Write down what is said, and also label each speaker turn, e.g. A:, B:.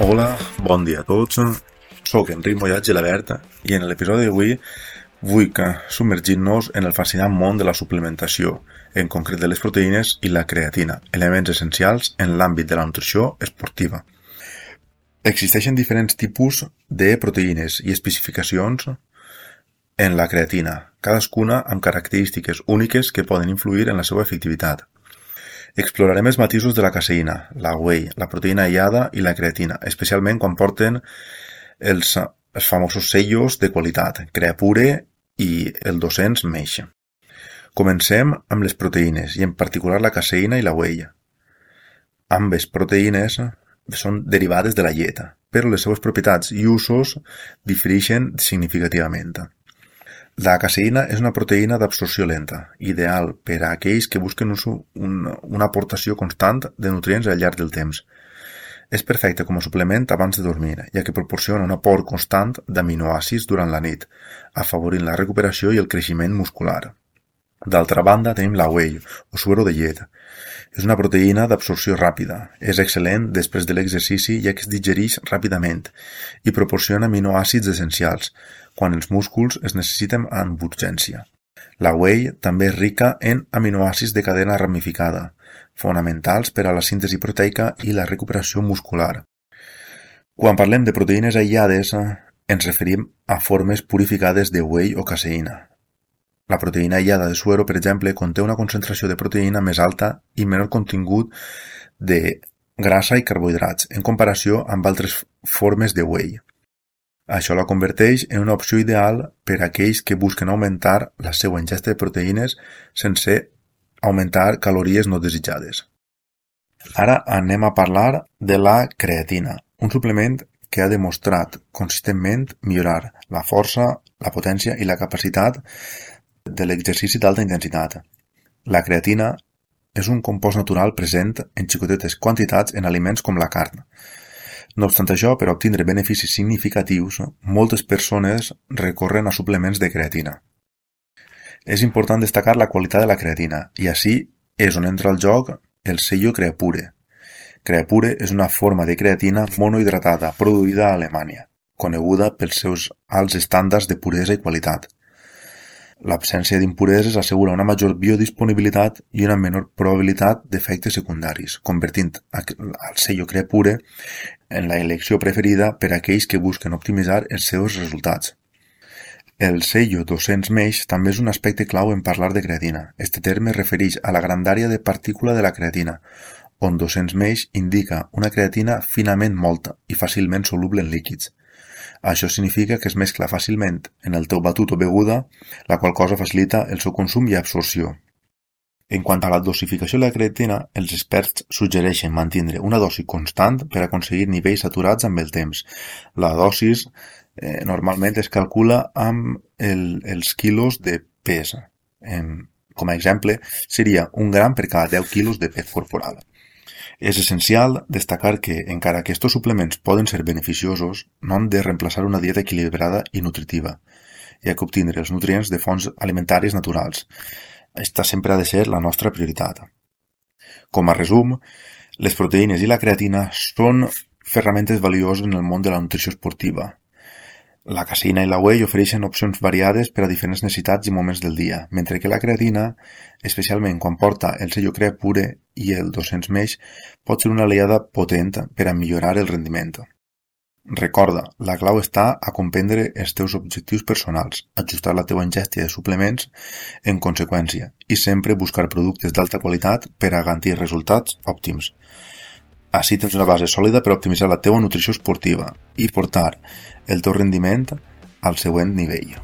A: Hola, bon dia a tots. Soc Enric Mollat Gelabert i en l'episodi d'avui vull submergir-nos en el fascinant món de la suplementació, en concret de les proteïnes i la creatina, elements essencials en l'àmbit de la nutrició esportiva. Existeixen diferents tipus de proteïnes i especificacions en la creatina, cadascuna amb característiques úniques que poden influir en la seva efectivitat. Explorarem els matisos de la caseïna, la whey, la proteïna aïllada i la creatina, especialment quan porten els famosos sellos de qualitat, Creapure i el 200 Mesh. Comencem amb les proteïnes i en particular la caseïna i la whey. Ambes proteïnes són derivades de la llet, però les seves propietats i usos difereixen significativament. La caseïna és una proteïna d'absorció lenta, ideal per a aquells que busquen una aportació constant de nutrients al llarg del temps. És perfecte com a suplement abans de dormir, ja que proporciona un aport constant d'aminoàcids durant la nit, afavorint la recuperació i el creixement muscular. D'altra banda, tenim la whey, o suero de llet. És una proteïna d'absorció ràpida. És excel·lent després de l'exercici ja que es digereix ràpidament i proporciona aminoàcids essencials, quan els músculs es necessiten amb urgència. La whey també és rica en aminoàcids de cadena ramificada, fonamentals per a la síntesi proteica i la recuperació muscular. Quan parlem de proteïnes aïllades, ens referim a formes purificades de whey o caseïna. La proteïna aïllada de suero, per exemple, conté una concentració de proteïna més alta i menor contingut de grassa i carbohidrats, en comparació amb altres formes de whey. Això la converteix en una opció ideal per a aquells que busquen augmentar la seva ingesta de proteïnes sense augmentar calories no desitjades. Ara anem a parlar de la creatina, un suplement que ha demostrat consistentment millorar la força, la potència i la capacitat de l'exercici d'alta intensitat. La creatina és un compost natural present en xicotetes quantitats en aliments com la carn. No obstant això, per obtenir beneficis significatius, moltes persones recorren a suplements de creatina. És important destacar la qualitat de la creatina, i així és on entra al joc el sello Creapure. Creapure és una forma de creatina monohidratada produïda a Alemanya, coneguda pels seus alts estàndards de puresa i qualitat. L'absència d'impureses assegura una major biodisponibilitat i una menor probabilitat d'efectes secundaris, convertint el sello Creapure en la elecció preferida per a aquells que busquen optimitzar els seus resultats. El sello 200 Mesh també és un aspecte clau en parlar de creatina. Este terme es refereix a la grandària de partícula de la creatina, on 200 Mesh indica una creatina finament molta i fàcilment soluble en líquids. Això significa que es mescla fàcilment en el teu batut o beguda, la qual cosa facilita el seu consum i absorció. En quant a la dosificació de la creatina, els experts suggereixen mantenir una dosi constant per aconseguir nivells saturats amb el temps. La dosis normalment es calcula amb els quilos de pes. Com a exemple, seria 1 gram per cada 10 quilos de pes corporal. És essencial destacar que, encara que estos suplements poden ser beneficiosos, no han de reemplaçar una dieta equilibrada i nutritiva, ja que obtenir els nutrients de fonts alimentàries naturals. Esta sempre ha de ser la nostra prioritat. Com a resum, les proteïnes i la creatina són ferramentes valioses en el món de la nutrició esportiva. La caseïna i la whey ofereixen opcions variades per a diferents necessitats i moments del dia, mentre que la creatina, especialment quan porta el sello Creapure i el 200 Mesh, pot ser una aliada potent per a millorar el rendiment. Recorda, la clau està a comprendre els teus objectius personals, ajustar la teva ingesta de suplements en conseqüència i sempre buscar productes d'alta qualitat per a garantir resultats òptims. Així tens una base sòlida per optimitzar la teva nutrició esportiva i portar el teu rendiment al següent nivell.